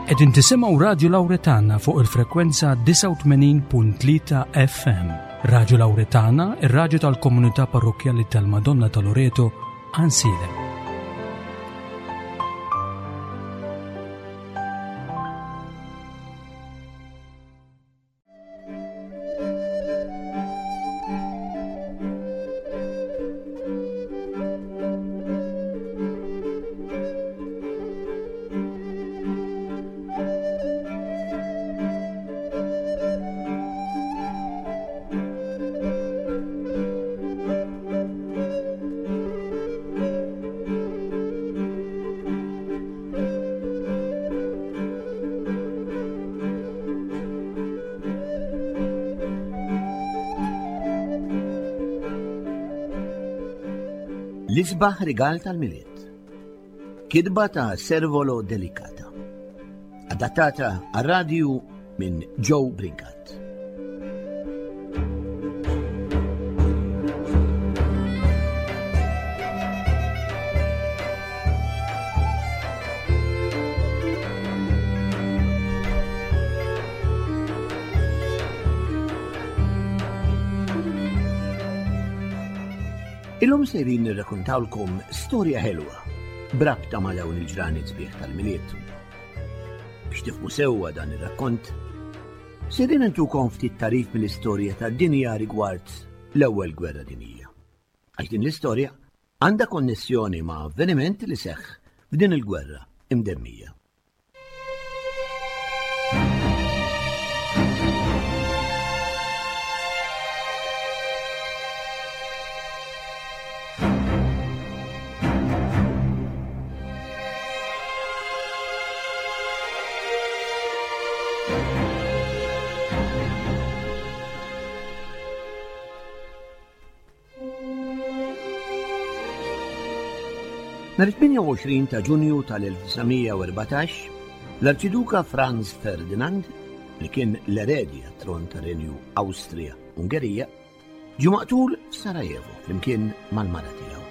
Qegħdin tisimgħu Radju Lawretana fuq il-frekwenza 89.3 FM. Radju Lawretana, ir-radju tal-komunità parrokkjali tal-Madonna ta' Loreto, Ansiedem. L-isbaħ rigal tal-Milied. Kidba ta' Servolo Delicata. Adattata għar-radju minn Joe Brincat. Illum sejrin nirrakuntawlkom storja ħelwa brabta ma' dawn il-ġranet sbieħ tal-Milied. Biex tifhmu sewwa dan ir-rakkont, sejrin intukom ftit tarif mill-istorja tad-dinja rigward l-Ewwel Gwerra Dinjija. Għax din l-istorja għandha konnessjoni ma' avveniment li seħħ f'din il-gwerra imdemmija. Nhar 28 ta' Ġunju tal-1914, l-Arċiduka Franz Ferdinand, li kien l-eredi għat-tron tar-Renju Awstrija-Ungerija, ġie maqtul f'Sarajevo flimkien mal-mara tiegħu.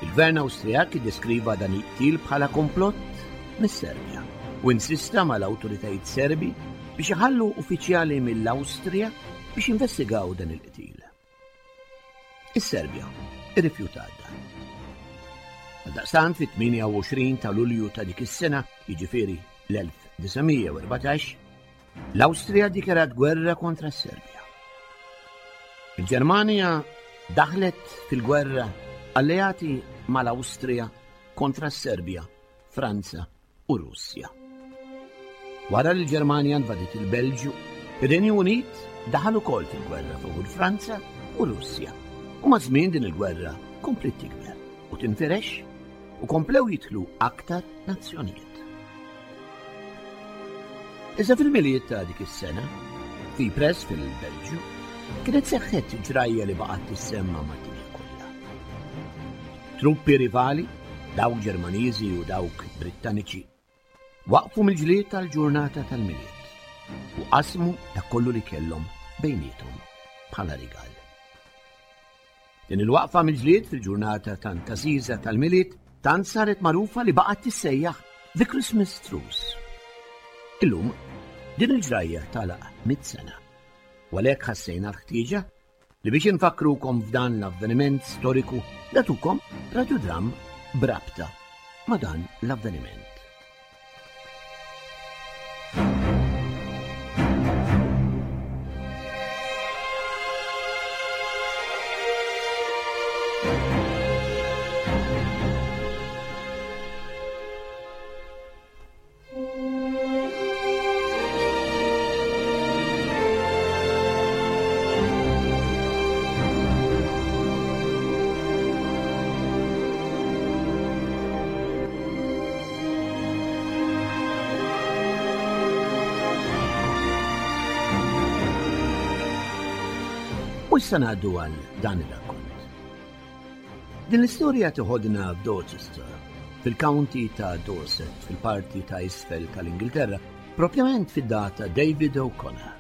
Il-Gvern Awstrijak iddeskriva dan il-qtil bħala komplott mis-Serbja u insista mal-awtoritajiet Serbi biex iħallu uffiċjali mill-Awstrija biex jinvestigaw dan il-qtil. Is-Serbja irrifjutat dan. Għaldaqstant fit-28 ta' Lulju ta' dik is-sena, jiġifieri l-1914, l-Awstrija ddikjarat gwerra kontra s-Serbja. Il-Ġermanja daħlet fil-gwerra alleati mal-Awstrija kontra s-Serbja, Franza u Russja. Wara li l-Ġermanja invadiet il-Belġju, ir-Renju Unit daħal ukoll fil-gwerra favur Franza u Russja. U maż-żmien din il-gwerra kompliet tikber u tinfirex u komplew jidħlu aktar nazzjonijiet. Iżda fil-Milied ta' dik is-sena, fi press fil-Belġju, kienet seħħet ġrajja li baqgħet tissemma mad-dinja kollha. Truppi rivali, dawk Ġermaniżi u dawk Brittaniċi, waqfu mill-ġlied tal-ġurnata tal-Milied u qasmu dak kollu li kellhom bejniethom bħala rigal. Din il-waqfa mill-ġlied fil-ġurnata tant għażiża tal-Milied tant saret magħrufa li baqgħet tissejjaħ The Christmas Truce. Illum, din il-ġrajja tagħlaq mit sena. U għalhekk ħassejna l-ħtieġa li biex infakkrukom f'dan l-avveniment storiku nagħtukom radjudramm b'rabta ma' dan l-avveniment. U issa ngħaddu għal dan ir-rakkont. Din l-istorja tiħodna f'Dorchester, fil-County ta' Dorset, fil-parti ta' isfel tal-Ingilterra, propjament fid-dar ta' David O'Connor,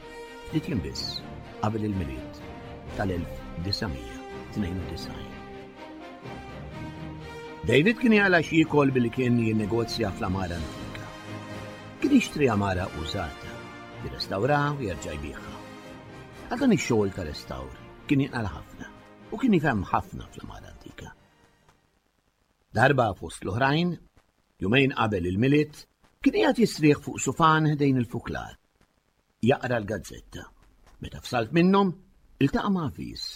ftit jiem biss qabel il-Milied tal-1992. David kien jaqla' x'jiekol billi kien jinnegozja fl-għamara antika. Kien jixtri għamara użata, jirrestawra u jerġa' jbigħha. Għal dan ix-xogħol ta' restawr kien jinqal ħafna u kien jifhem ħafna fl-għamara antika. Darba fost l-oħrajn, jumejn qabel il-Milied, kien qiegħed jistrieħ fuq sufan ħdejn il-fuklar. Jaqra l-gazzetta. Meta f'salt minnhom, iltaqa' ma' avviż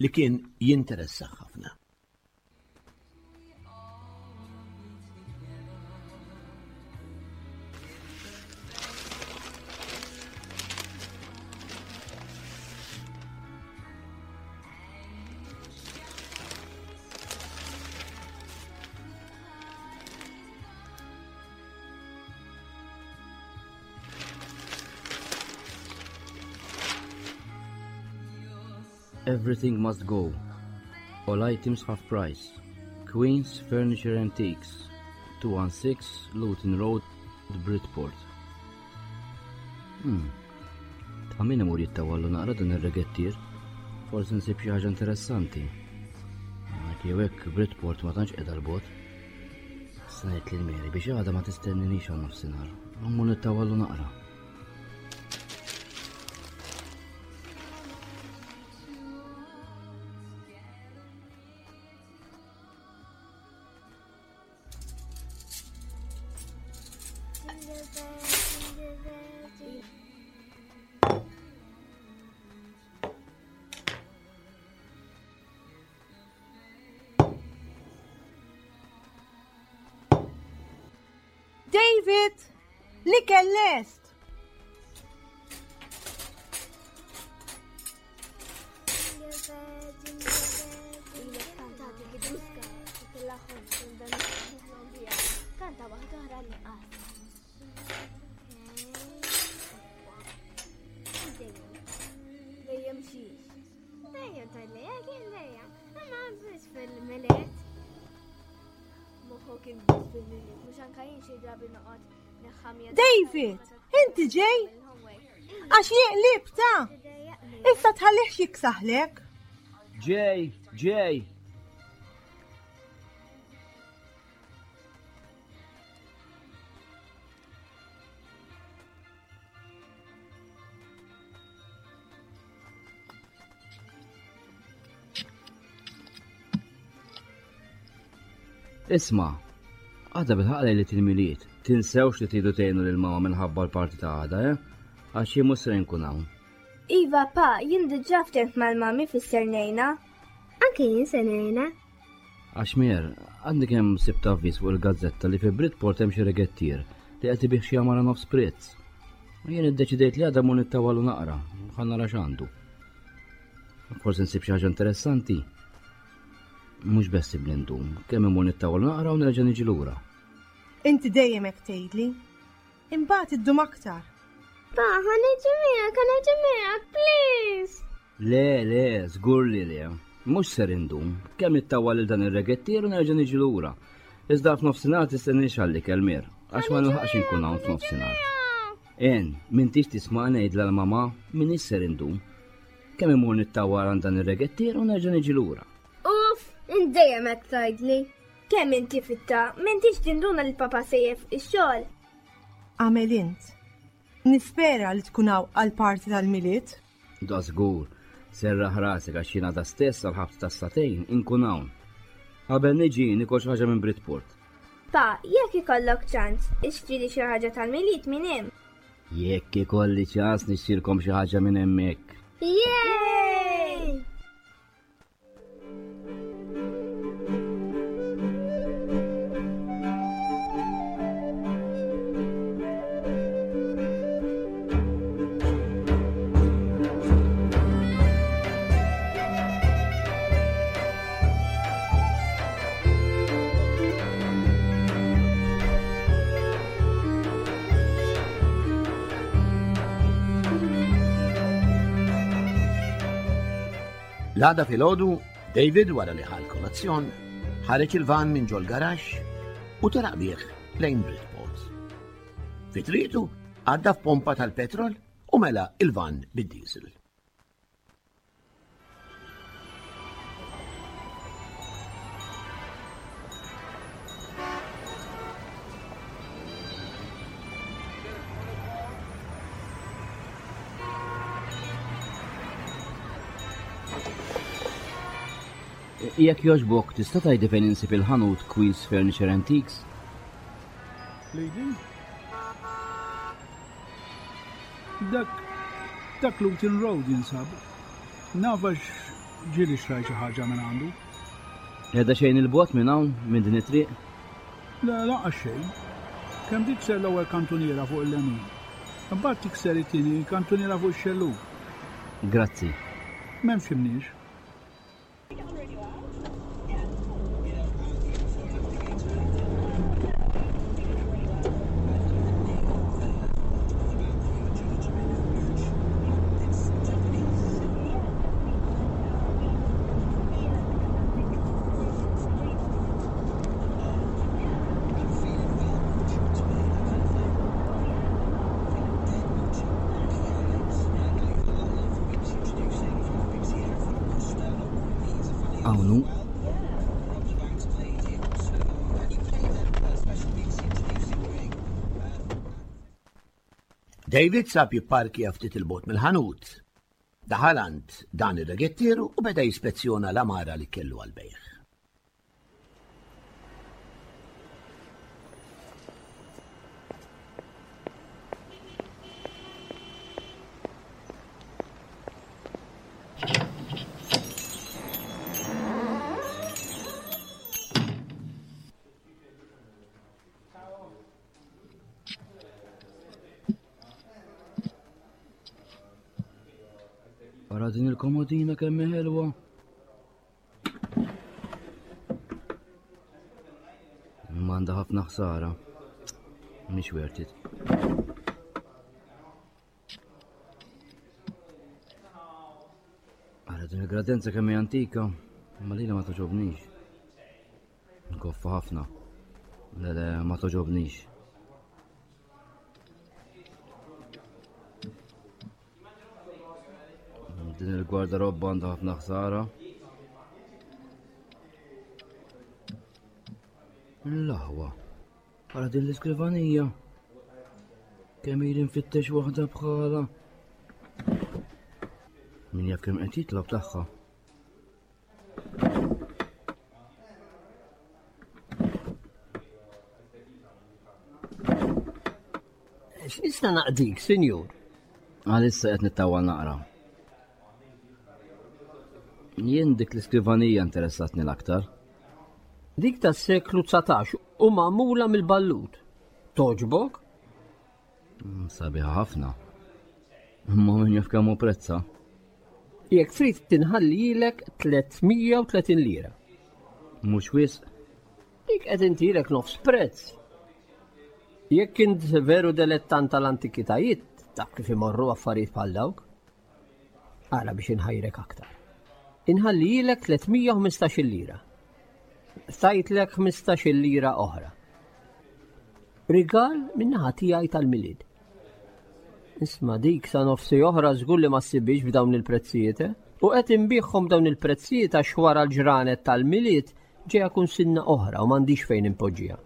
li kien jinteressah ħafna. Everything must go. All items half price. Queen's Furniture Antiques, 216 Luton Road, Bridport. Hmm. Ta' min imur jittawallu naqra dan ir-regettier? Forsi nsib xi ħaġa interessanti. Hekk jew hekk Bridport ma tantx qiegħda l-bogħod. Snajt lil Mary biex għada ma tistenninix għal nofsinhar. Mmur nittawallu naqra. David, l-ikel lest! David, inti ġej? Għax jeqlib ta' Issa tħallihx jiksaħlek. Ġej, ġej. Isma, għada bil-ħaq lejlet il-Milied, tinsewx li tridu tgħinu lil mama minħabba l-parti ta' għada, eh? Għax jien mhux se nkun hawn. Iva, pa, jien diġà ftemt mal-mami fisser ngħinha. Anke jien se ngħinha. Għax Mer, għadni kemm sibt avviż fuq il-gazzetta li fi Bridport hemm xi regettier li qed ibih xi għamara nofs prezz. U jien iddeċidejt li għada mur nittawalu naqra, ħa nara x'għandu. Forsi nsib xi ħaġa interessanti. Mhux bessibli ndum, kemm imur nittawalu naqra u nerġa' niġi lura. Inti dejjem hekk tgħidli. Imbagħad iddum aktar. Pa, ħa niġi miegħek, ħa niġi miegħek, please. Le, le, żgur li le. Mhux ser indum. Kemm nittawwal lil dan ir-regettier u nerġa' niġi lura. Iżda f'nofsinhar tistenniex għall-ikel Mir, għax ma nilħaqx inkun hawn f'nofsinhar. En, m'intix tisma' ngħidla l-mama m'iniex ser indum. Kemm imur nittawwal għand dan ir-regettier u nerġa' niġi lura. Uff, int dejjem hekk tgħidli. Kemm inti fitta, m'intix tinduna li papa sejjef ix-xogħol. Għamel int. Nispera li tkun hawn għall-party tal-Milied. Da żgur. Serraħ rasek għax jien għada stess għall-ħabta tas-sagħtejn inkun hawn. Qabel niġi nikol xi ħaġa minn Bridport. Pa, jekk ikollok ċans, ixtrili xi ħaġa tal-Milied minn hemm. Jekk ikolli ċans nixtrilkom xi ħaġa minn hemmhekk. Yay! L-għada filgħodu, David wara li ħa l-kolazzjon, ħareġ il-van minn ġol garaxx u telaq bih lejn Bridport. Fi triqtu għadda f'pompa tal-petrol u mela il-van bid-diesel. Jekk jogħġbok, tista' tgħidli fejn insib il-ħanut Queen's Furniture Antiques? Lady? Dak dak Luton Road jinsab. Naf għax ġieli xtrajt xi ħaġa minn għandu. Qiegħda xejn il-bogħod minn hawn, minn din it-triq? Le, lanqas xejn. Kemm tikser l-ewwel kantuniera fuq il-lemin. Imbagħad tikser it-tieni kantuniera fuq ix-xellug. Grazzi. M'hemmx imniex. Hawn hu. David sab jipparkja ftit il-bot mill-ħanut. Daħal għand dan ir-regettieru u beda jispezzjona l-għamara li kellu għall-bejgħ. Ara din il-komodina kemm ħelwa. Imma għandha ħafna ħsara. Mhix worth it. Ara din il-gradenza kemm hija antika, imma lilha ma toġobnix. Nkoffa ħafna. Le le ma toġobnix. Din il-gwardarobba għandha ħafna ħsara. L-aħwa. Ara din l-iskrivanija. Kemm ili nfittex waħda bħala. Min jaf kemm qed jitlob tagħha. X'nista' naqdik, sinjur? Għalissa qed nittawwa naqra. Jien dik l-iskrivanija interessatni l-aktar. Dik tas-seklu 19 u magħmula mill-ballut. Toġbok? Mm, sabiħa ħafna. Imma min jaf kemm hu prezza. Jekk trid tinħallilek 330 lira. Mhux wisq. Dik qed intilek nofs prezz. Jekk int veru delettant tal-antikitajiet, taf kif imorru affarijiet bħal dawk. Ara biex inħajrek aktar. Inħallilek 315 lira. Tajtlek 15 lira oħra. Rigal min-naħa tiegħi tal-Milied. Isma' dik sa nofsi oħra żgur li ma ssibhiex b'dawn il-prezzijiet, eh? U qed inbiegħhom dawn il-prezzijiet għax wara l-ġranet tal-Milied ġejja kunsinna oħra u m'għandix fejn inpoġġiha.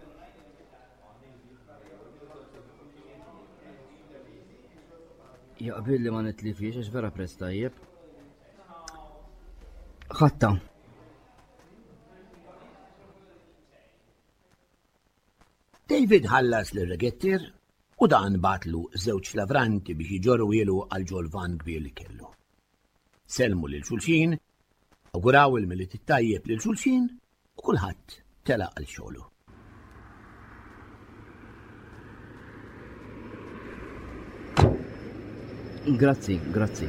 Jaqbil li ma nitlifiex għax vera prezz tajjeb. Ħatta. David ħallas lir-regettier u dan bagħatlu żewġ lavranti biex iġorruhielu għal ġol-vann kbir li kellu. Sellmu lil xulxin, awguraw il-Milied it-tajjeb lil xulxin u kulħadd telaq għal xogħlu. Grazzi, grazzi.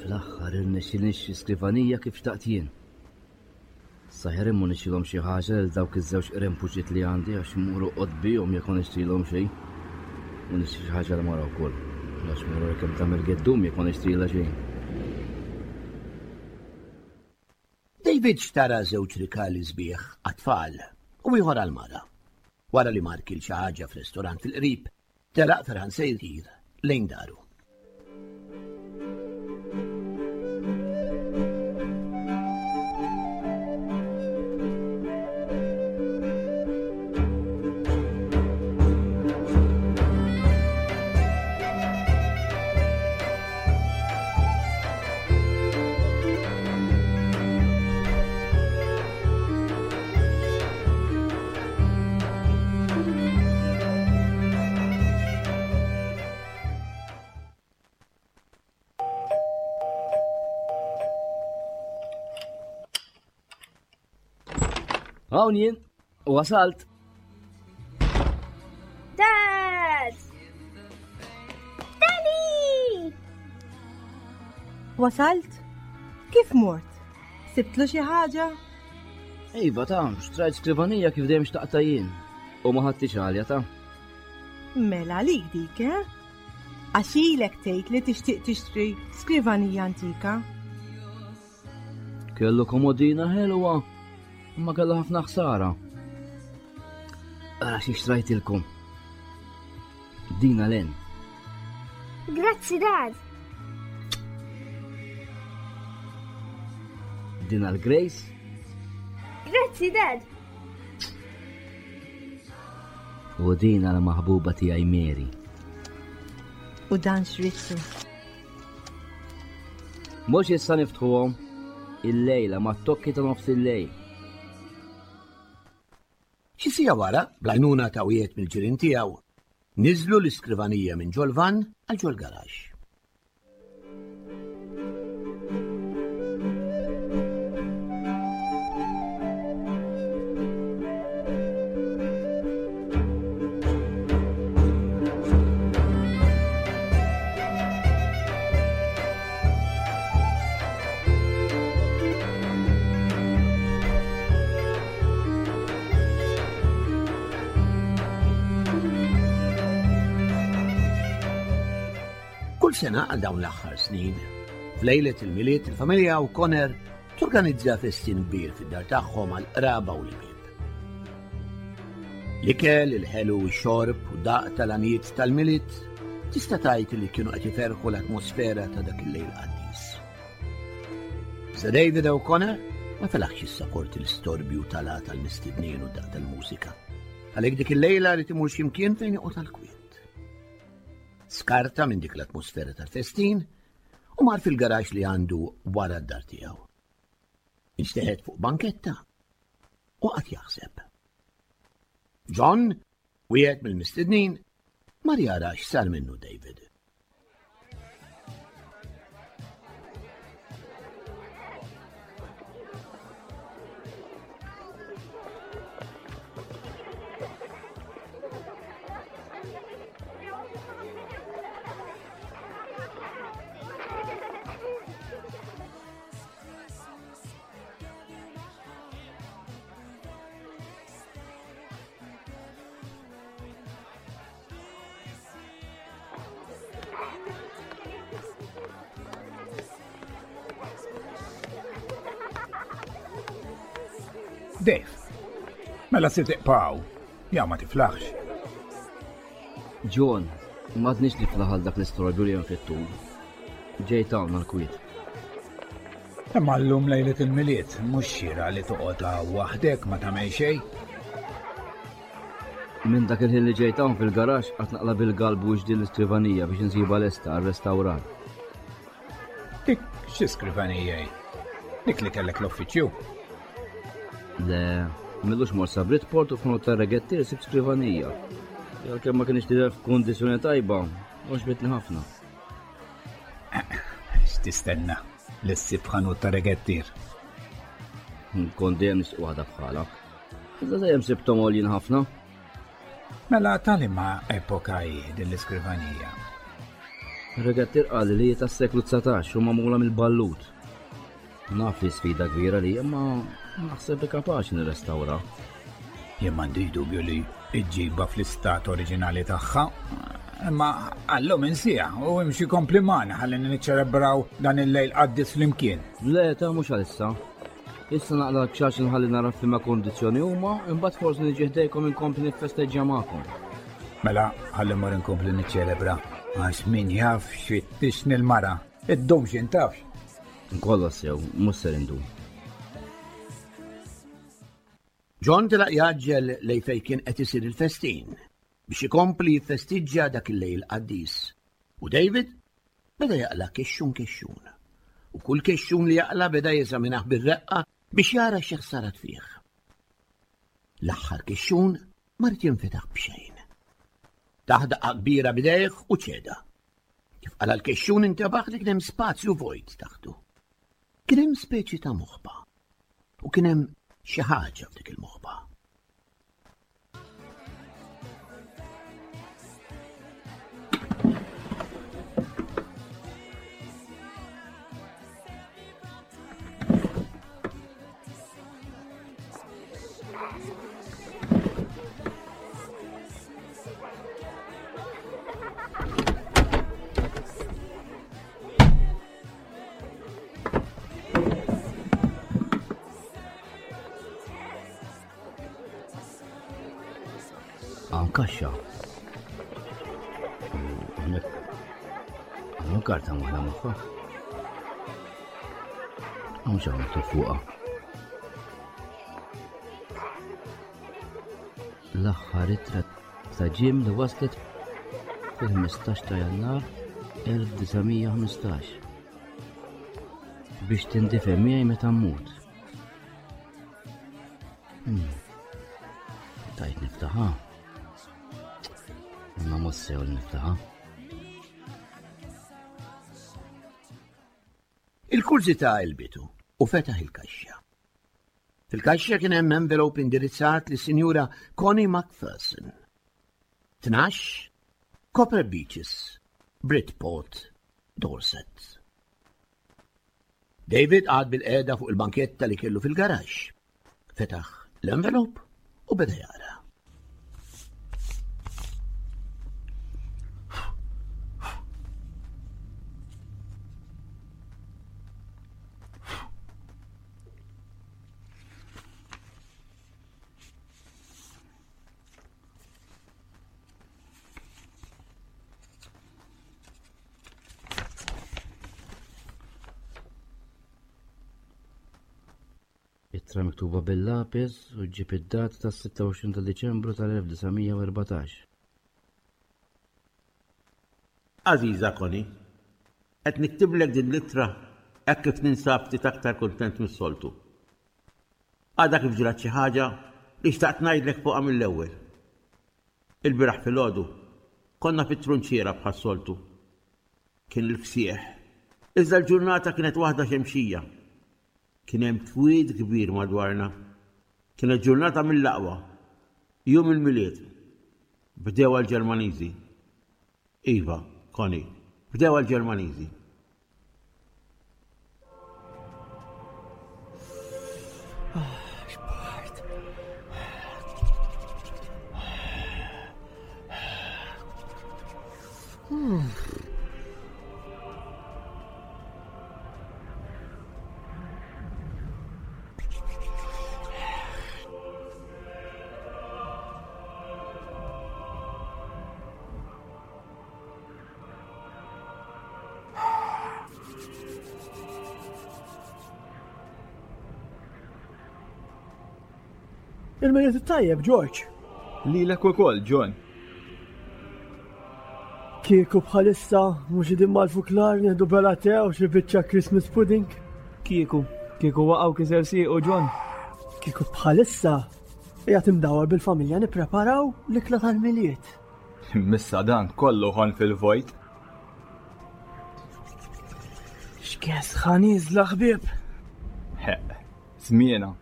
Fl-aħħar irnexxieli nixtri skrivanija kif xtaqt jien. Saħer imma nixtrilhom xi ħaġa lil dawk iż-żewġ qrempuċiet li għandi għax immur oqgħod bihom jekk ma nixtrilhom xejn. U nixtri xi ħaġa l-mara wkoll. Għax mur kemm tagħmel geddum jekk ma nixtrilha xejn. David xtara żewġ rikali sbieħ għat-tfal u ieħor għall-mara. Wara li mar kil xi ħaġa f'restorant fil-qrib, Telaq ferħan se jtir lejn daru. Hawn jien, wasalt. Dad! Daddy! Wasalt? Kif mort? Sibtlu xi ħaġa? Iva ta' xtrajt skrivanija kif dejjem xtaqta jien. U ma ħadtix għalja ta'. Mela għalik dik, eh? Għax ilek tgħid li tixtieq tixtri skrivanija antika. Kellu komodina ħelwa, imma kellu ħafna ħsara. Ara xi xtrajtilkom. Dina len. Grazzi, Dad. Dina l-Grace. Grazzi, Dad. U dina l-maħbuba tiegħi Mary. U dan xrittu. Mhux issa niftħuhom il-lejla mat-tokki ta' nofs il-lejl. Xi siegħa wara, bl-għajnuna ta' wieħed mill-ġirien tiegħu, niżlu l-iskrivanija minn ġol-vann għal ġol-garaxx. Kull sena għal dawn l-aħħar snin, f'lejlet il-Milied il-familja O'Connor torganizza festin kbir fid-dar tagħhom għal qraba u l-ħbieb. L-ikel, il-ħelu, ix-xorb u daq tal-għanijiet tal-Milied tista' tgħid li kienu qed iferħu l-atmosfera ta' dak il-lejl qaddis. Sir David O'Connor ma felaħx jissaporti l-istorbju tal tal-mistednin u daq tal-mużika. Għalhekk dik il-lejla li timur x'imkien fejn joqgħod għall-kwiet. Skarta minn dik l-atmosfera tal-festin u mar fil-garax li għandu wara d-dar tiegħu. Inxteħet fuq banketta u qagħad jaħseb. John, wieħed mill-mistednin, mar jara x'sar minnu David. Dave, mela se tiqpaw, ja ma tiflaħx. John, m'għadniex niflaħ għal dak l-istorbju li hemm fit-tul. Ġejt hawn għall-kwiet. Imma llum lejlet il-Milied mhux xieraq li toqgħod hawn waħdek ma tagħmel xejn. Minn dak il-ħin li ġejt hawn fil-garaxx qatt naqla' bil-galbu wiex din l-iskrivanija biex insibha lesta għar-restawrar. Dik xi skrivanija hi? Dik li kellek l-uffiċċju? Le, m'ilux mort sa Bridport u f'ħanut tar-regettier sibt skrivanija. Għalkemm ma kienx tidher f'kundizzjoni tajba, għoġbitni ħafna. X'tistenna li ssib ħanut ta' regettier? Kont dejjem nixtieq waħda bħala. Iżda dejjem sibthom għoljin ħafna. Mela tal-imma epoka hi din l-iskrivanija. Regattir qal li hi tas-seklu 19 u magħmula mill-ballut. Naf li sfida kbira li imma naħseb li kapaċi nirrestawra. Jien m'għandix dubju li ġġibha fl-istat oriġinali tagħha, imma għallum insija u imxi kompli magħna ħalli niċċelebraw dan il-lejl qaddis flimkien. Le, ta' mhux għalissa. Issa naqla l-kxax nħalli nara f'liema kondizzjoni huma, imbagħad forsi niġi ħdejkom inkompli niffesteġġja magħkom. Mela, ħalli mmur inkompli niċċelebra, għax min jaf xi tixni l-mara, iddum xi ntafx. Kollox sew, mhux ser indum. John telaq jgħaġġel lejn fejn kien qed isir il-festin biex ikompli jiffestiġġja dak il-lejl qaddis. U David beda jaqla' kexxun kexxun. U kull kexxun li jaqla' beda jeżaminah bir-reqqa biex jara xi ħsarat fih. L-aħħar kexxun ma ried jinfetaħ b'xejn. Tah daqqa kbira b'idejh u ċeda. Kif qala l-kexxun intebaħ li kien hemm spazju vojt taħtu. Kien hemm speċi ta' moħba. U kien hemm xi ħaġa f'dik il-moħba. Hawn kaxxa. Hawnhekk hawn karta waħda magħha. Hawn xi miktub fuqha. L-aħħar ittra ta' Jim li waslet fil-15 ta' Jannar 1915 biex tindifen miegħi meta mmut. Hmm. Tajt niftaħa. Imma mhux sew li niftaħa. Il-kurżità għelbitu u fetaħ il-kaxxa. Fil-kaxxa kien hemm envelope indirizzat lis-Sinjura Connie McPherson. 12 Copper Beaches, Bridport, Dorset. David qagħad bil-qiegħda fuq il-banketta li kellu fil-garaxx. Fetaħ l-envelope u beda jaqra. Ittra miktuba bil-lapis u ġġib id-data tas-26 ta' Diċembru tal-1914. Għażiża Connie, qed niktiblek din l-ittra hekk kif ninsab ftit aktar kuntent mis-soltu. Għadha kif ġrat xi ħaġa li xtaqt ngħidlek fuqha mill-ewwel. Ilbieraħ filgħodu konna fit-trunċiera bħas-soltu. Kien il-fsieħ. Iżda l-ġurnata kienet waħda xemxija. Kien hemm twiet kbir madwarna. Kienet ġurnata mill-aqwa. Jum il-Milied. Bdewha l-Ġermaniżi. Iva, Connie, bdewha l-Ġermaniżi. Il-Milied it-tajjeb, George. Lilek ukoll, John. Kieku bħalissa mhux idin mal-fuklar nieħdu bela te u xi biċċa Christmas pudding. Kieku, kieku waqgħu kiser siequ John. Kieku bħalissa qiegħed imdawar bil-familja nippreparaw l-ikla tal-Milied. Missa dan kollu ħon fil-vojt. X'kes ħaniżla ħbieb. Heq, żmiena.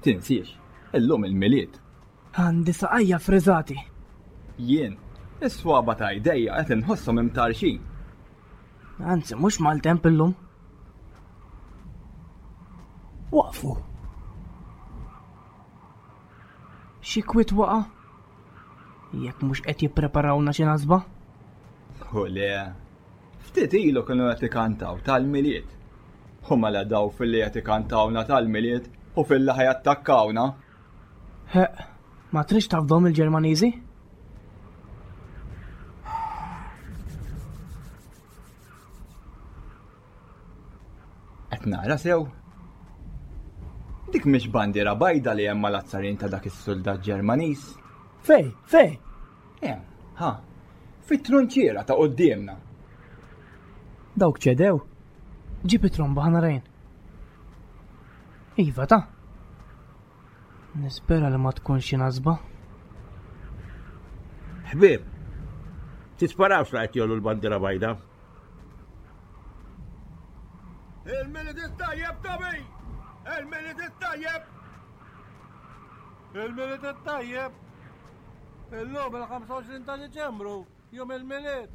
Tinsiex, illum il-Milied. Għandi saqajja friżati. Jien, is-swaba ta' jdejja qed inħosshom imtarxin. Anzi, mhux maltemp illum. Waqfu. Xi kwiet waqa'? Jekk mhux qed jippreparawna xi nasba? U le, ftit ilu kienu qed ikantaw tal-Milied. U mela daw filli qed ikantawna tal-Milied u filli ħa jattakkawna. Heq, ma tridx tafdhom il-Ġermaniżi? Qed nara sew? Dik mhix bandiera bajda li hemm mal-azzarin ta' dak is-suldat Ġermaniż. Fej, fej? Hemm, ha, fit-trunċiera ta' quddiemna. Dawk ċedew. Ġib it-tromba ħa narajn. Iva ta'. Nispera li ma tkunx xi nasba. Ħbieb, tisparawx la qed jollu l-bandiera bajda. Il-Milied it-tajjeb, Tobi! Il-Milied it-tajjeb! Il-Milied it-tajjeb! Illum il-25 ta' Diċembru, jum il-Milied!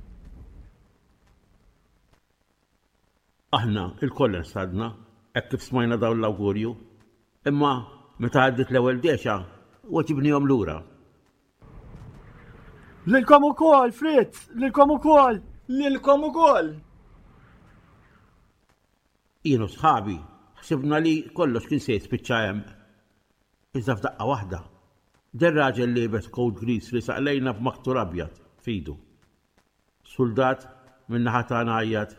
Aħna lkoll insadna hekk kif smajna dawn l-awgurju, imma meta għaddiet l-ewwel dexa, weġibnihom lura. Lilkom ukoll, Fritz! Lilkom ukoll! Lilkom ukoll! Jien u sħabi ħsibna li kollox kien se jispiċċa hemm. Iżda f'daqqa waħda, deher raġel liebes kowt griż riesaq lejna b'maktur abjad f'idu. Suldat min-naħa tagħna għajjat.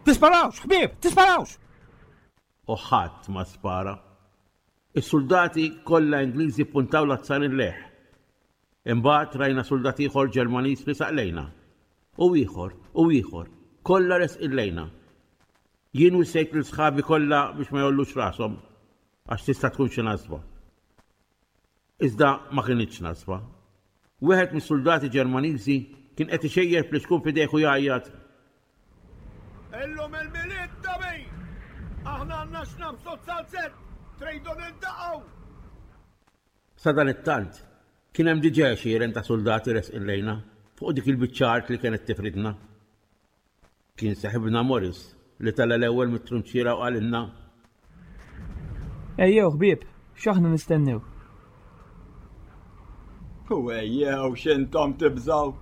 Tisparawx, ħbieb, tisparawx! U ħadd ma spara. Is-suldati kollha Ingliżi ppuntaw l-azzarin lejh. Imbagħad rajna suldat ieħor Ġermaniż riesaq lejna. U ieħor, u ieħor, kollha resqin lejna. Jien wissejt lil sħabi kollha biex ma jgħollux rashom għax tista' tkun xi nasba. Iżda ma kinitx nasba. Wieħed mis-suldati Ġermaniżi kien qed ixejjer flixkun f'idejh u jgħajjat. Illum il-Milied Dabi! Aħna għandna x'nabsu z-zalzett! Tridu niltaqgħu! Sadanittant, kien hemm diġà għexieren ta' suldati resqin lejna fuq dik il-biċċa art li kienet tifridna. Kien seħibna Morris li tela' l-ewwel mit-trunċiera u qalilna. Ejjew ħbieb, x'aħna nistennew? U ejjew x'intom tibżgħu?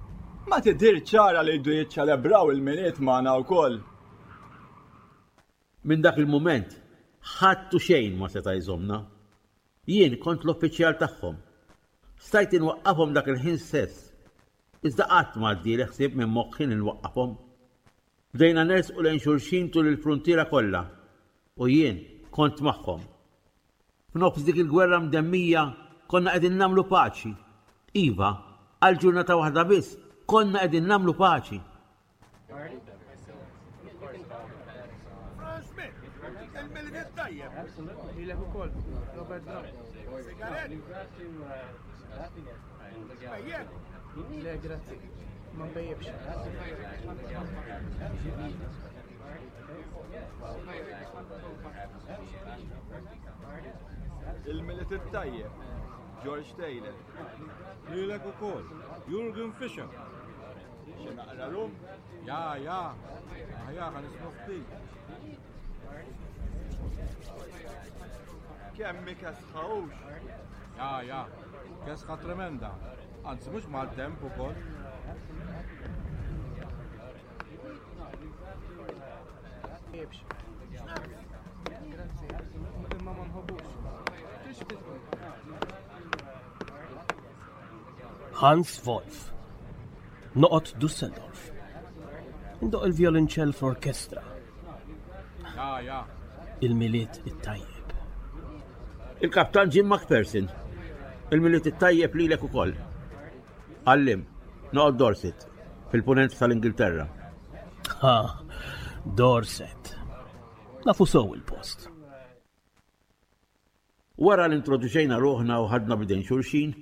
Ma tidhir ċara li jdu jiċċelebraw il-Milied magħna wkoll. Minn dak il-mument, ħadd u xejn ma seta' jżommna. Jien kont l-uffiċjal tagħhom. Stajt inwaqqafhom dak il-ħin stess. Iżda qatt ma għaddieli ħsieb minn moħħi li nwaqqafhom. Bdejna nersqu lejn xulxin tul il-fruntiera kollha u jien kont magħhom. F'nofs dik il-gwerra mdemmija konna qegħdin nagħmlu paċi. Iva, għal ġurnata waħda biss konna qegħdin nagħmlu paċi. Le, grazzi. Ma nbejjibx. Il-Milied it-tajjeb, George Taylor. Lilek ukoll, Jurgen Fischer. Xi naqra rum? Ja, ja. Aħjar ħa nismu ftit. Kemm hi kesħa hux? Ja, ja. Kesħa tremenda. Anzi mhux mal-temp ukoll. Imma ma nħobbux. Hans Wolf. Noqgħod Dusseldorf. Indoq il-vjolinċell f'orkestra. Ja, ja. Il-Milied it-tajjeb. Il-Kaptan Jim McPherson. Il-Milied it-tajjeb lilek ukoll. Għallim, noqgħod Dorset, fil-punent tal-Ingilterra. Ha, Dorset. Nafu sew il-post. Wara li introduċejna ruħna u ħadna b'idejn xulxin,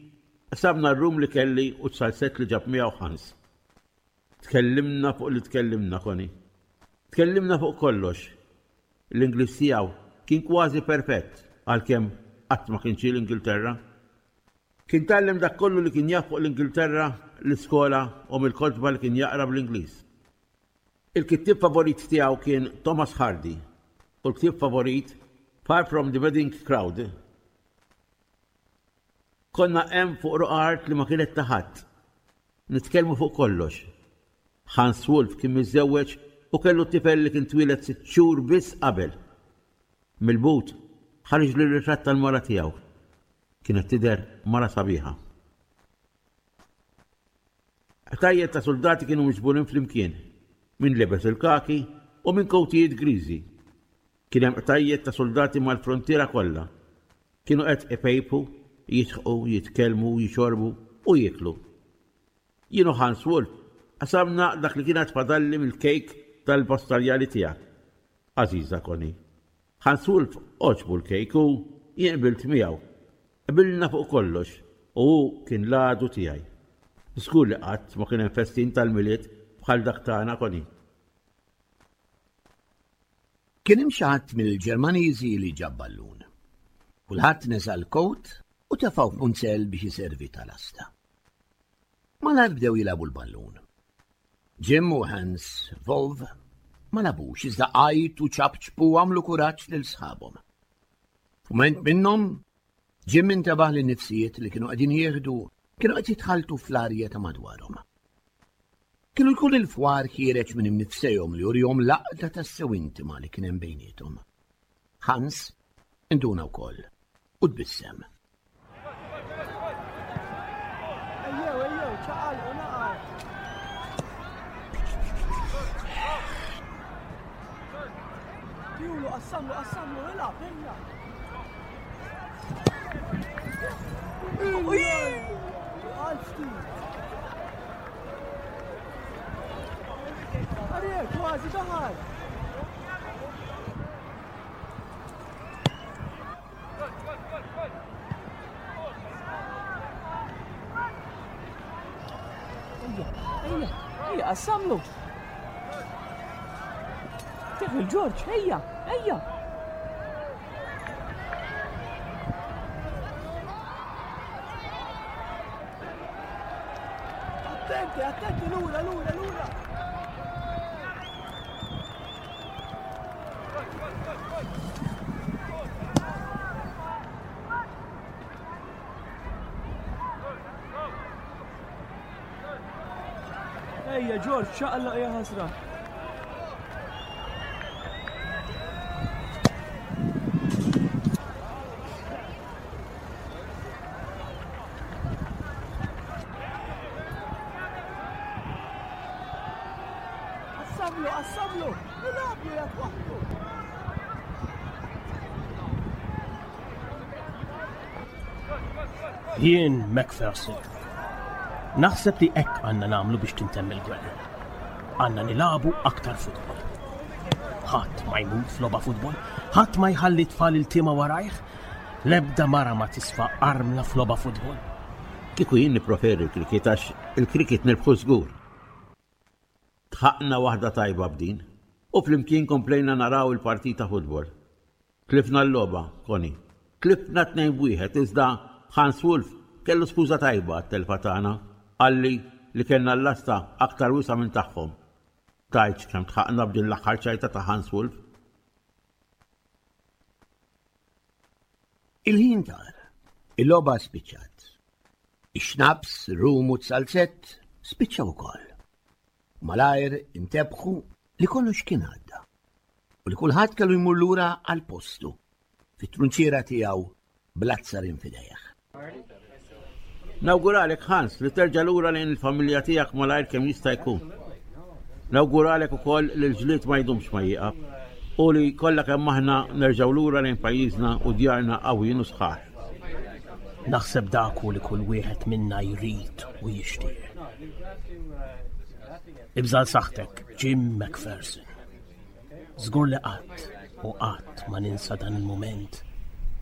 qsamna r-rum li kelli u t-salsett li ġab miegħu Hans. Tkellimna fuq li tkellimna, Connie. Tkellimna fuq kollox. L-Ingliż tiegħu kien kważi perfett għalkemm qatt ma kien ġie l-Ingilterra. Kien tgħallem dak kollu li kien jaf fuq l-Ingilterra l-iskola u mill-kotba li kien jaqra bl-Ingliż. Il-kittieb favorit tiegħu kien Thomas Hardy u l-ktieb favorit Far From the Madding Crowd. Konna hemm fuq roqgħa art li ma kienet ta' ħadd. Nitkellmu fuq kollox. Hans Wolf kien miżżewweġ u kellu tifel li kien twieled sitt xhur biss qabel. Mill-but ħariġli r-ritratt tal-mara tiegħu. Kienet tidher mara sabiħa. Qtajjel ta' suldati kienu miġburin flimkien, min libes il-kaki u min kowtijiet griżi. Kien hemm qtajjel ta' suldati mal-fruntiera kollha. Kienu qed ipejpu, jidħqu, jitkellmu, jixorbu u jieklu. Jien u Hans Wolf qasamna dak li kien għad fadalli mill-kejk tal-pastarjali tiegħek, għażiża Connie. Hans Wolf għoġbu l-kejk u jien qbilt miegħu. Qbilna fuq kollox u hu kien l-għadu tiegħi. Żgur li qatt ma kien hemm festin tal-Milied bħal dak tagħna, Connie. Kien hemm xi ħadd mill-Ġermaniżi li ġab ballun. Kulħadd neża' l-kowt. u tefgħu f'munzell biex iservi ta' lasta. Malajr bdew jilagħbu l-ballun. Jim u Hans Volv ma labux iżda għajtu ċapċpu għamlu kuraġġ lil sħabhom. F'mument minnhom, Jim intebaħ li nifsijiet li kienu qegħdin jieħdu kienu qed jitħaltu fl-arja ta' madwarhom. Kienu jkun il-fwar ħiereġ minn imnifsejhom li jurihom laqda tassew intima li kien hemm bejniethom. Hans induna wkoll u tbissem. Ejjew, ejjew, ċaqalqu naqgħu. Tjulu, qassamlu, qassamlu, ilgħab, ejja. Għarriek, kważi daħal. Ejja, ejja, ejja, qassamlu. Tieħu l-Ġorġ, ejja, ejja. Attenti, attenti, lura, lura, lura. Ejja, Ġorġ, ċaqlaq ja ħasra. Qassamlu, qassamlu! Ilagħblu jekk waħdu! Jien McPherson. Naħseb li hekk għandna nagħmlu biex tintemm il-gwerra. Għandna nilagħbu aktar futbol. Ħadd ma jmut f'logħba futbol, ħadd ma jħalli tfal il-tiema warajh, l-ebda mara ma tisfa armla f'logħba futbol. Kieku jien nippreferi l-cricket għax il-cricket nirbħu żgur. Dħaqna waħda tajba b'din u flimkien komplejna naraw il-partita futbol. Tlifna l-logħba, Connie. Tlifna 2-1 iżda Hans Wolf kellu skuża tajba għat-telfa tagħna. Qalli li kellna l-lasta aktar wiesgħa minn tagħhom. Tgħidx kemm dħaqna b'din l-aħħar ċajta ta' Hans Wolf. Il-ħin tar. Il-logħba spiċċat. Ix-xnaps, rum u t-salzett spiċċaw ukoll. Malajr intebħu li kollox kien għadda u li kulħadd kellu jmur lura għal postu fit-trunċiera tiegħu bl-azzar fidejh. Nawguralek Hans li terġa' lura lejn il-familja tiegħek malajr kemm jista' jkun. Nawguralek ukoll li l-ġlied ma jdumx ma jieqaf u li kollha kemm aħna nerġgħu lura lejn pajjiżna u djarna qawwijin u sħaħ. Naħseb dak hu li kull wieħed minna jrid u jixtieq. Ibżal saħtek, Jim McPherson. Żgur li qatt u qatt ma ninsa dan il-mument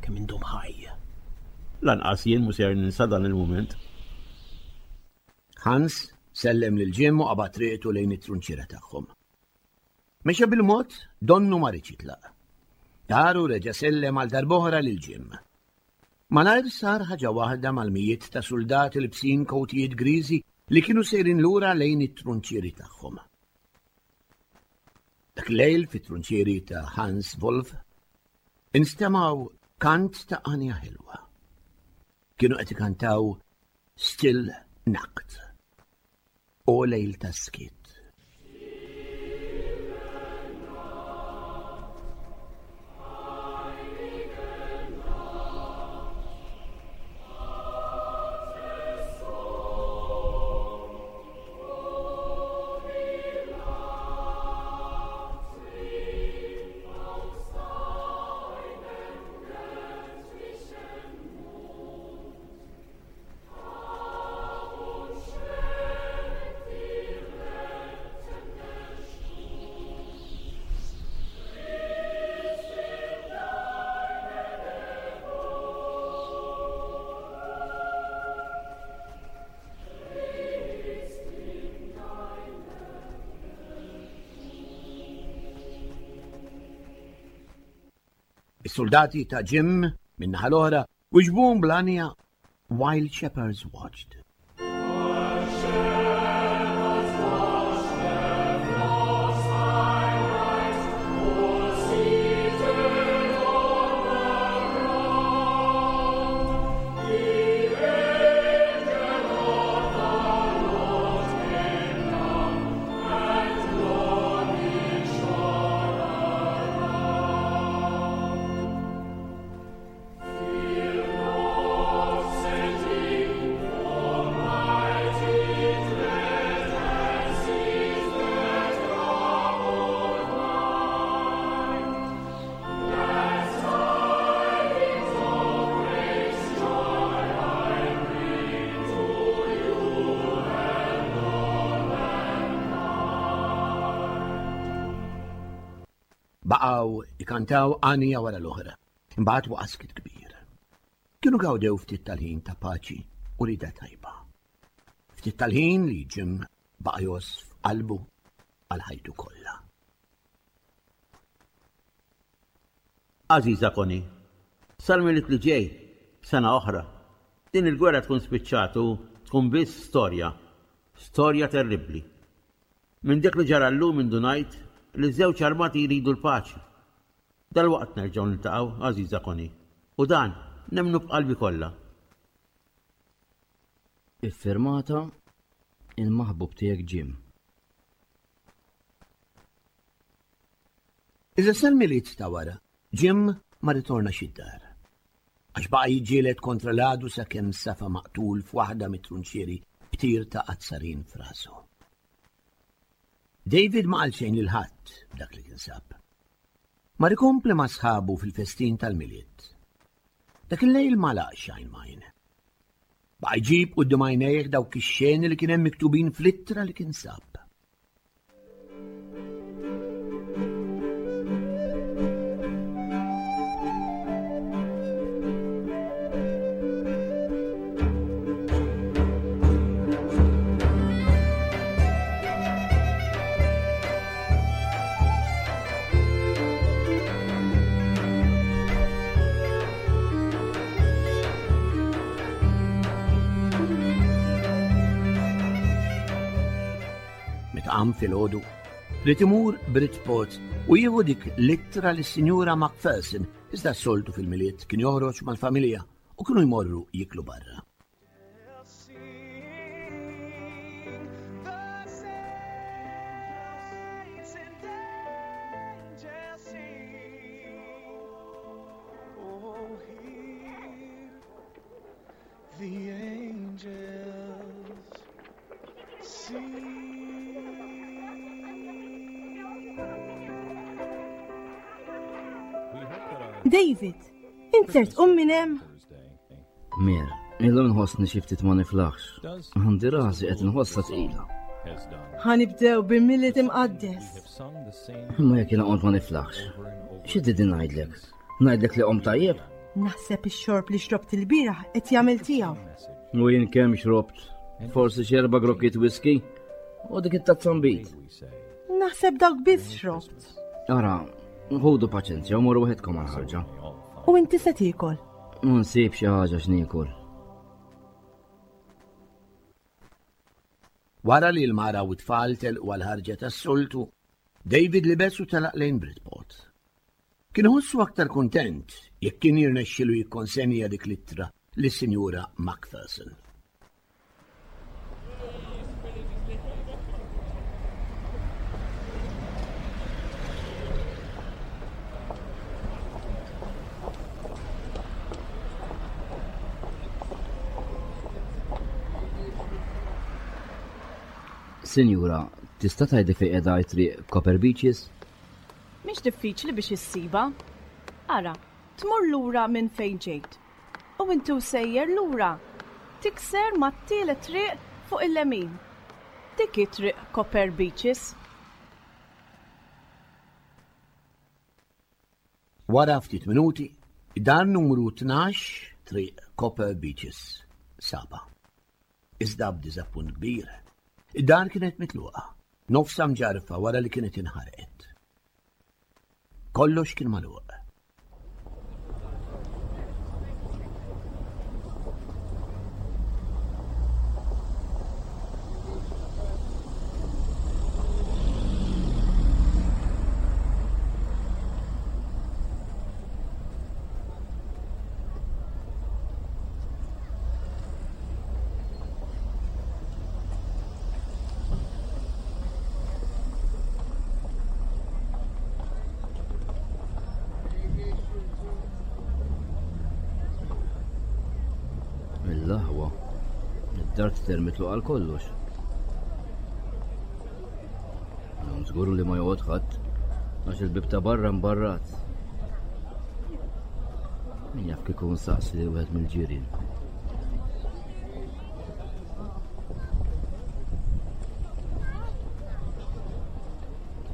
kemm indum ħaj. Lanqas jien mhu ser ninsa dan il-mument. Hans sellem lil Jim u qabad triqtu lejn it-trunċiera tagħhom. Mexa bil-mod donnu ma riedx jitlaq. Dar u reġa' sellem għal darb'oħra lil Jim. Malajr sar ħaġa waħda mal-mijiet ta' suldati libsin kowtijiet griżi li kienu sejrin lura lejn it-trunċieri tagħhom. Dak lejl fit-trunċieri ta' Hans Wolf instemgħu kant ta' għanja ħelwa. Kienu qed ikantaw Still Nacht. O lejl ta' skiet. Is-soldati ta' Jim min-naħa l-oħra wiġbuhom bl-għanja While Shepherds Watched. Baqgħu ikantaw għanija wara l-oħra. Imbagħad waqa' skiet kbir. Kienu gawdew ftit tal-ħin ta' paċi u rida tajba. Ftit tal-ħin li Jim baqa' jgħożż f'qalbu għal ħajtu kollha. Għażiża Connie, sal-Milied li ġej, sena oħra, din il-gwerra tkun spiċċat u tkun biss storja. Storja terribbli. Minn dak li ġara llum indunajt li ż-żewġ armati jridu l-paċi. Dalwaqt nerġgħu niltaqgħu, għażiża Connie, u dan nemmnu b'qalbi kollha. Iffirmata il-maħbub tiegħek Jim. Iżda sal-Milied ta' wara, Jim ma rritornax id-dar. Għax baqa' jiġġieled kontra l-għadu sakemm safa maqtul f'waħda mit-trunċieri b'tir ta' azzarin f'rasu. David ma qal xejn lil ħadd b'dak li kien sab. Mar ikompli ma' sħabu fil-festin tal-Milied. Dak il-lejl ma laqx għajn m'għajn. Baqa' jġib quddiem għajnejh dawk ix-xeni li kien hemm miktubin fl-ittra li kien sab. Meta qam filgħodu, ried imur Bridgeport u jieħu dik l-ittra lis-Sinjura Macpherson iżda s-soltu fil-Milied kien joħroġ mal-familja u kienu jmorru jiklu barra. The angels sing. David, int ser tqum minn hemm? Mir, illum nħossni xi ftit ma niflaħx. Għandi rasi qed nħossha tqila. Ħanibdew bil-Milied imqaddes. Imma jekk jiena qomt ma niflaħx. Xi trid ngħidlek? Ngħidlek li qomt tajjeb? Naħseb ix-xorb li xrobt il-bieraħ qed jagħmel tiegħu. U jien kemm xrobt? Forsi xi erba' grokkiet whisky u dik it-tazza nbid. Naħseb dawk biss xrobt. Ara, ħudu paċenzja u morru waħedkom għal-ħarġa. U inti se tiekol? Nsib xi ħaġa x'niekol. Wara li l-mara u t-tfal telqu għal-ħarġa tas-soltu, David libes u telaq lejn Bridport. Kien iħossu aktar kuntent jekk kien jirnexxilu jikkonsenja dik l-ittra lis-Sinjura Macpherson. Sinjura, tista' tgħidli fejn qiegħda t-triq Copper Beaches? Mhix diffiċli biex issibha. Ara, tmur lura minn fejn ġejt. U inti u sejjer lura, tikser mat-tielet triq fuq il-lemin. Dik hi Triq Copper Beaches. Wara ftit minuti, dar numru 12 Triq Copper Beaches sabha. Iżda b'diżappunt kbir, id-dar kienet mitluqa, nofsha mġarrfa wara li kienet inħarqet. Kollox kien magħluq. L-aħwa. Id-dar tidher mitluq għal kollox. Hawn żgur li ma joqgħod ħadd għax il-bib ta' barra mbarrat. Min jaf kieku nsaqsi li wieħed mill-ġirien.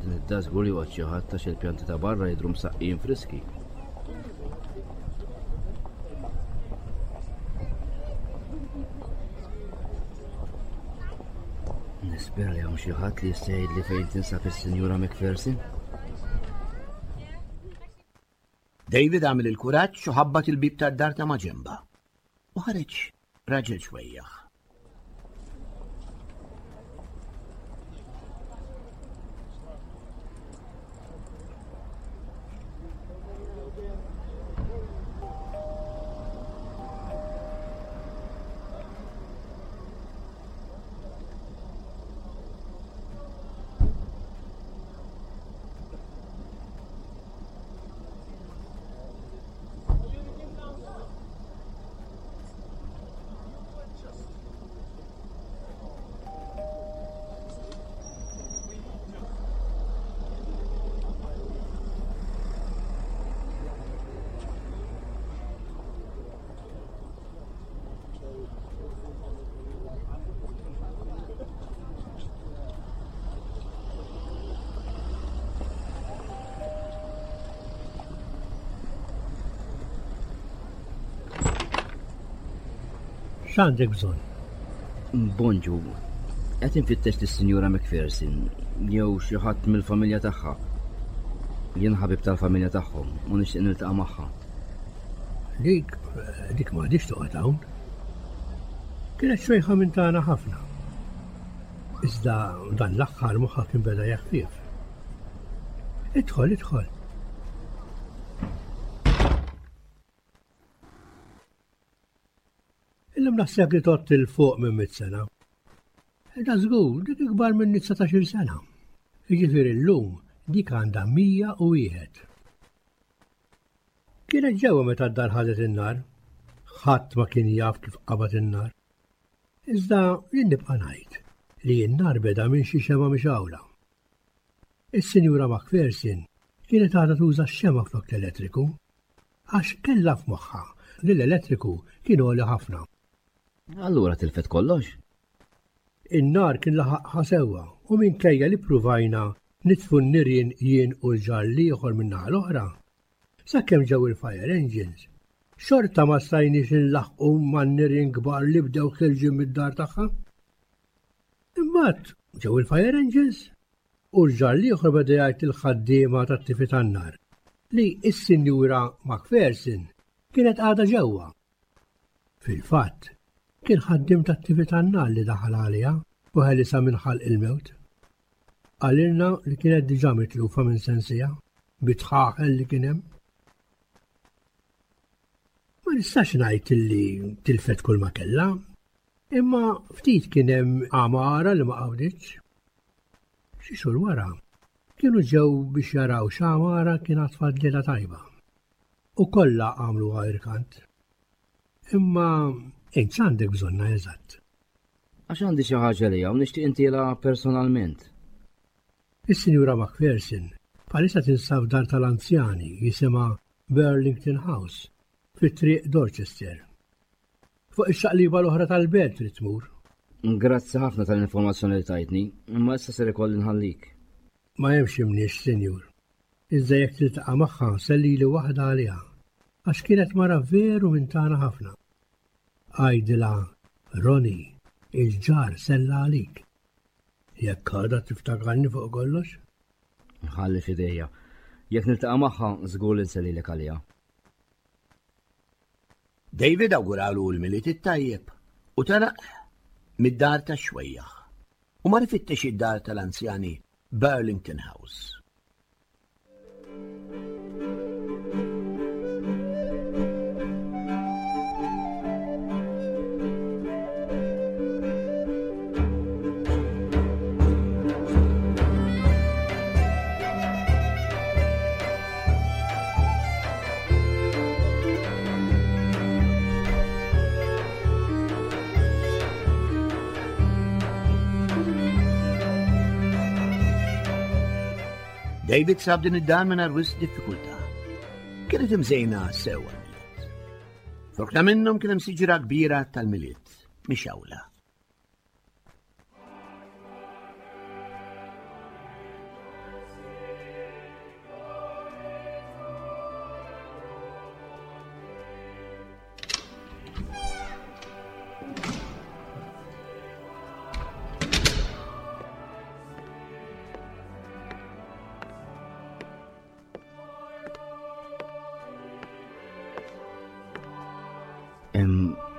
Din id-dar żgur li joqgħod xi ħadd għax il-pjanti ta' barra jidhru msaqqijin friski. Nispera li hawn xi ħadd li jista' jgħidli fejn tinsab is-Sinjura McPherson. David għamel il-kuraġġ u ħabbat il-bib tad-dar ta' maġenba. U ħareġ raġel xwejjaħ. X'għandek bżonn? Bonġu. Qed infittex lis-Sinjura McPherson jew xi ħadd mill-familja tagħha. Jien ħabib tal-familja tagħhom u nixtieq niltaqa' magħha. Dik, dik m'għadhiex toqgħod hawn. Kienet xwejħa minn tagħna ħafna. Iżda dan l-aħħar moħħha kien beda jeħfief. Idħol, idħol. Illum naħseb li tott il fuq minn mit sena. Da żgur, dik ikbar minn 19 sena. Jiġifieri llum dik għandha 101. Kienet ġewwa meta d-dar ħadet in-nar. Ħadd ma kien jaf kif qabad in-nar. Iżda jien nibqa' ngħid li n-nar beda minn xi xemgħa mixgħula. Is-Sinjura Macpherson kienet għadha tuża x-xemgħa flok l-elettriku għax kellha f'moħħha li l-elettriku kien għoli ħafna. Allura tilfet kollox? In-nar kien laħaqha sewwa u minkejja li ppruvajna nitfu n-nirien jien u l-ġar l-ieħor min-naħa l-oħra, sakemm ġew il-fire engines, xorta ma stajniex inlaħħqu man-nirien kbar li bdew ħierġin mid-dar tagħha. Imbagħad ġew il-fire engines u l-ġar l-ieħor beda jgħid lill-ħaddiema tat-tifi tan-nar li s-Sinjura Macpherson kienet għadha ġewwa. Fil-fatt, kien ħaddiem tat-tifi tan-nar li daħal għaliha u ħelisha minn ħalq il-mewt. Qalilna li kienet diġà mitlufa minn sensiha bit-tħaħel li kien hemm. Ma nistax ngħid li tilfet kull ma kellha, Imma ftit kien hemm għamara li ma qawditx. Xi xhur wara, kienu ġew biex jaraw x'għamara kien għad fadlilha tajba. U kollha għamluha irkant. Imma int x'għandek bżonnha eżatt? Għax għandi xi ħaġa lejha u nixtieq intielha personalment. Is-Sinjura Macpherson bħalissa tinsab f'dar tal-anzjani jisimha Burlington House fi Triq Dorchester. Fuq ix-xaqliba l-oħra tal-belt trid tmur. Grazzi ħafna tal-informazzjoni li tajtni, imma issa ser ikolli nħallik. Ma hemmx imniex, sinjur. Iżda jekk tiltaqa' magħha sellili waħda għaliha, għax kienet mara veru minn tagħna ħafna. Għidilha, Ronnie, il-ġar sella għalik. Jekk għadha tiftakarni fuq kollox. Ħalli f'idejja. Jekk niltaqa' magħha, żgur li nsellilek għaliha. David awguralu l-Milied it-tajjeb u telaq mid-dar tax-xwejjaħ u mar ifittex id-dar tal-anzjani Burlington House. David sab din id-dar mingħajr wisq diffikultà. Kienet imżejna sew għall-Milied. F'rokna minnhom kien hemm siġra kbira tal-Milied, mixgħula.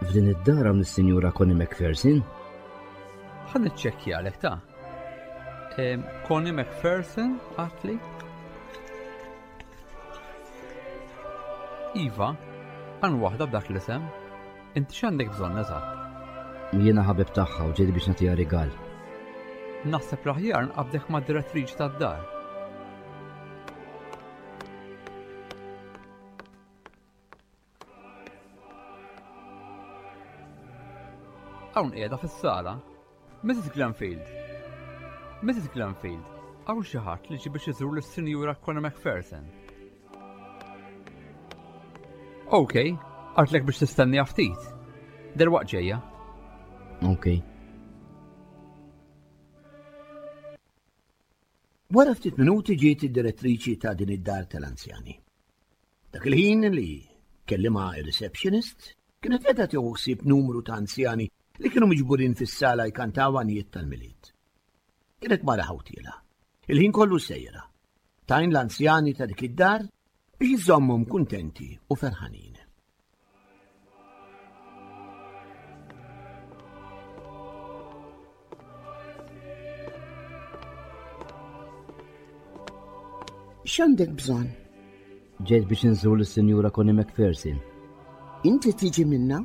F'din id-dar hawn is-Sinjura Connie McPherson? Ħa niċċekkjalek ta' Connie McPherson għatli? Iva, għan waħda b'dak l-isem. Inti x'għandek bżonn eżatt? Jiena ħabib tagħha u ġejt biex nagħtiha rigal. Naħseb l-aħjar nqabdek mad-direttriċi tad-dar. Hawn qiegħda fis-sala. Mrs. Glenfield. Mrs. Glenfield, hawn xi ħadd li ġie biex iżur lis-Sinjura Connie McPherson. Ok, għartlek biex tistenni ftit. Derwaqt ġejja. Ok. Wara ftit minuti ġiet id-direttriċi ta' din id-dar tal-anzjani. Dak il-ħin li kellimha ir-receptionist, kienet qiegħda tieħu ħsieb numru ta' anzjani li kienu miġburin fis-sala jkantaw għanijiet tal-Milied. Kienet mara ħawtiela. Il-ħin kollu sejra. Tajn l-anzjani ta' dik id-dar biex iżommhom kuntenti u ferħanin. X'għandek bżonn? Ġejt biex inżur lis-Sinjura Connie McPherson. Inti tiġi minna?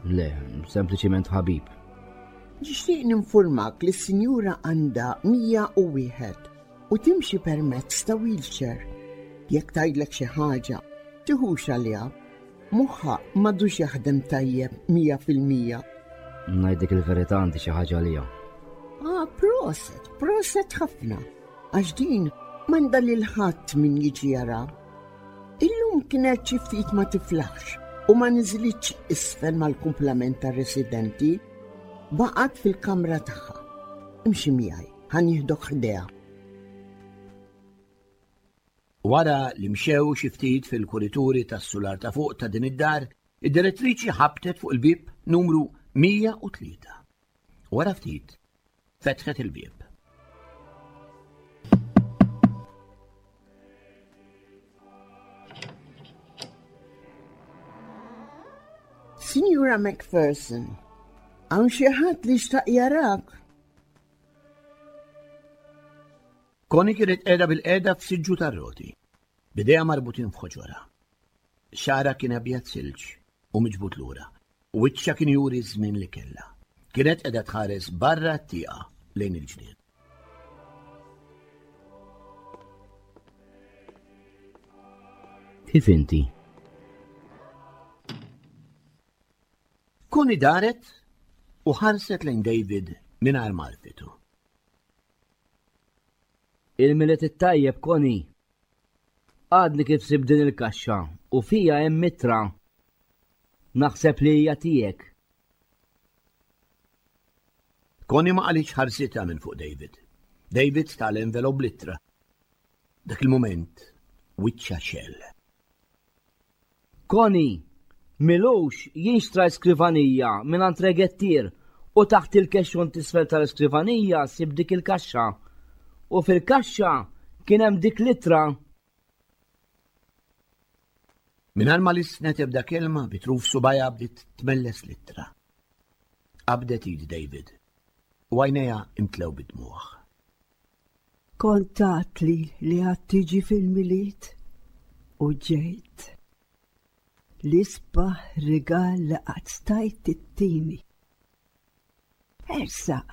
Le, sempliċiment ħabib. Nixtieq ninfurmak li s-Sinjura għandha 101 u timxi permezz ta' wheelchair. Jekk tgħidlek xi ħaġa, tiħux għaliha. Moħħha m'għadux jaħdem tajjeb 100%. Ngħidlek il-verità għandi xi ħaġa għaliha. Ah, proset, proset ħafna. Għax din m'għandha lil ħadd min jiġi jara. Illum kienet xi ftit ma tiflaħx u ma niżlitx isfel mal-kumplament tar-residenti. Baqgħet fil-kamra tagħha. Imxi miegħi, ħa nieħdok ħdejha. Wara li mxew xi ftit fil-kurituri tas-sular ta' fuq ta' din id-dar, id-direttriċi ħabtet fuq il-bieb numru 103. Wara ftit, fetħet il-bieb. Signora McPherson, hawn xi ħadd li xtaq jarak? Connie kienet qiegħda bilqiegħda f'siġġu tar-roti, b'idejha marbutin f'ħoġorha. Xagħarha kien abjad silġ u miġbud lura, u wiċċha kien juri ż-żmien li kellha. Kienet qiegħda tħares barra t-tieqa lejn il-ġnien. Kif inti? Connie daret u ħarset lejn David mingħajr m'għarfitu. Il-Milied it-tajjeb, Connie! Għadni kif sibt din il-kaxxa u fiha hemm ittra. Naħseb li hija tiegħek. Connie ma qalitx ħarsitha minn fuq David. David ta l-envelop bl-ittra. Dak il-mument, wiċċha xell. Connie, M'ilux jien xtrajt skrivanija mingħand regettier u taħt il-kexxun t'isfel tal-iskrivanija sibt dik il-kaxxa. U fil-kaxxa kien hemm dik l-ittra. Mingħajr ma lissnet ebda kelma, bi truf subgħajha bdiet tmelles l-ittra. Qabdet id David u għajnejha imtlew bid-dmugħ. Kont għadtli li għad tiġi fil-Milied u ġejt. L-isbaħ rigal li qatt stajt ittini. Ersaq,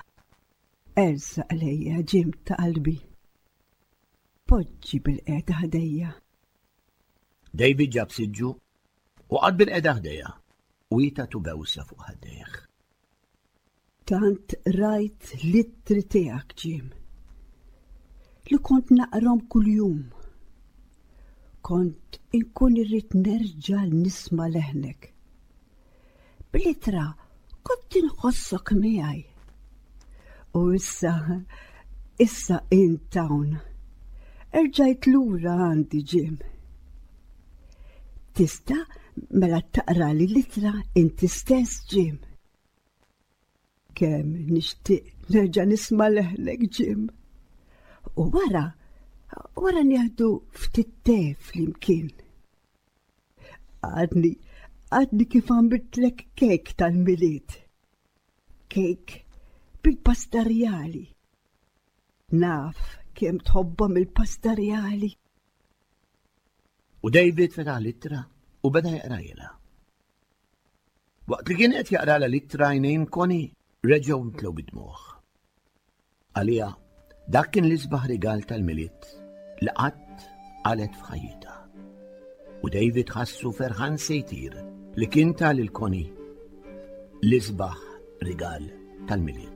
ersaq lejja Jim ta' qalbi. Poġġi bil-qiegħda ħdejja. David ġab siġġu u qagħad bil-qiegħda ħdejha u hi tatu bewsa fuq ħaddejh. Tant rajt l-ittri tiegħek, Jim. li kont naqrom kuljum. Kont inkun irrid nerġa' nisma' leħnek. Bl-ittra kont inħossok miegħi. U issa, issa int hawn. Erġajt lura għandi Jim. Tista' mela taqra li l-ittra inti stess Jim. Kemm nixtieq nerġa' nisma' leħnek Jim. U wara, wara nieħdu ftit te flimkien. Għadni, għadni kif għamiltlek kejk tal-Milied. Kejk bil-pastarjali. Naf kemm tħobbhom il-pastarjali. U David fetaħ l-ittra u beda jaqrajla. Waqt li kien qed jaqralha l-ittra għajnejn Connie reġgħu mtlew bid-dmugħ. Għaliha dak kien l-isbaħ rigal tal-Milied li qatt qalet f'ħajjitha. U David ħassu ferħan se jtir li kien ta lil Connie l-isbaħ rigal tal-Milied.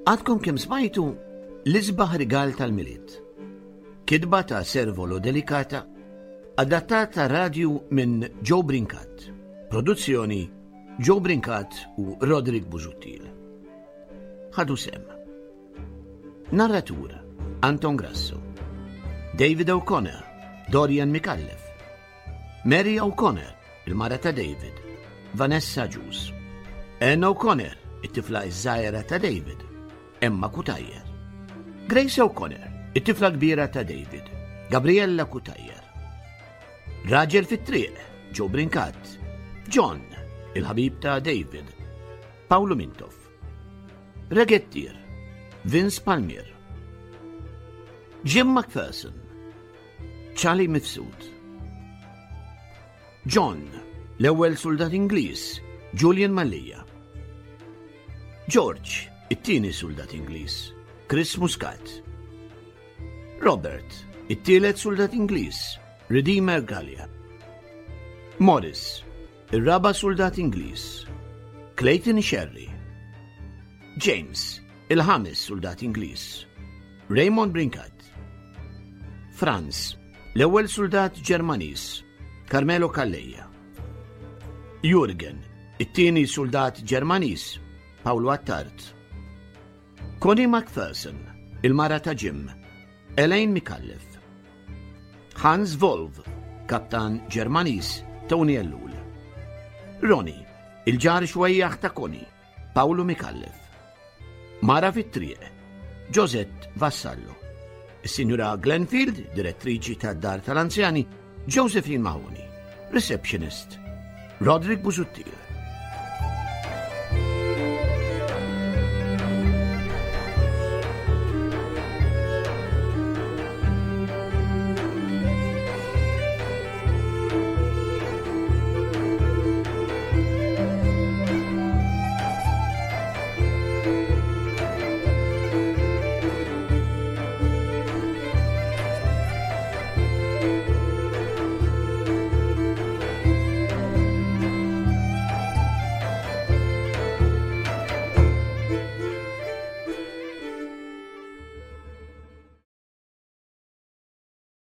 Għadkom kemm smajtu l-isbaħ rigal tal-Milied. Kitba ta' Servolo Delicata, adattata radju minn Joe Brincat. Produzzjoni Joe Brincat u Roderick Busuttil. Ħadu sem. Narratur Anton Grasso. David O'Connor, Dorian Micallef. Mary O'Connor, il-mara ta' David, Vanessa Ġus. Ann O'Connor, it-tifla iż-żgħira ta' David, Emma Cutajar. Grace O'Connor, it-tifla kbira ta' David, Gabriella Cutajar. Raġel fit-triq, Joe Brincat. John, il-ħabib ta' David, Paolo Mintoff. Regettier, Vince Palmier. Jim McPherson, Charlie Mifsud. John, l-ewwel suldat Ingliż, Julian Mallia. George, it-tieni suldat Ingliż, Chris Muscat. Robert, it-tielet suldat Ingliż, Redeemer Gallia. Morris, ir-raba' suldat Ingliż, Clayton Sherry. James, il-ħames suldat Ingliż, Raymond Brincat. Franz, l-ewwel suldat Ġermaniż, Carmelo Calleja. Jurgen, it-tieni suldat Ġermaniż, Paolo Attard. Connie McPherson, il-mara ta' Jim, Elaine Micallef. Hans Wolf, kaptan Ġermaniż, Tony Ellul. Ronnie, il-ġar xwejjaħ ta' Connie, Paolo Micallef. Mara fit-triq, Josette Vassallo. Is-Sinjura Glenfield, direttriċi tad-Dar tal-Anzjani, Josephine Mahoney, receptionist, Roderick Busuttil.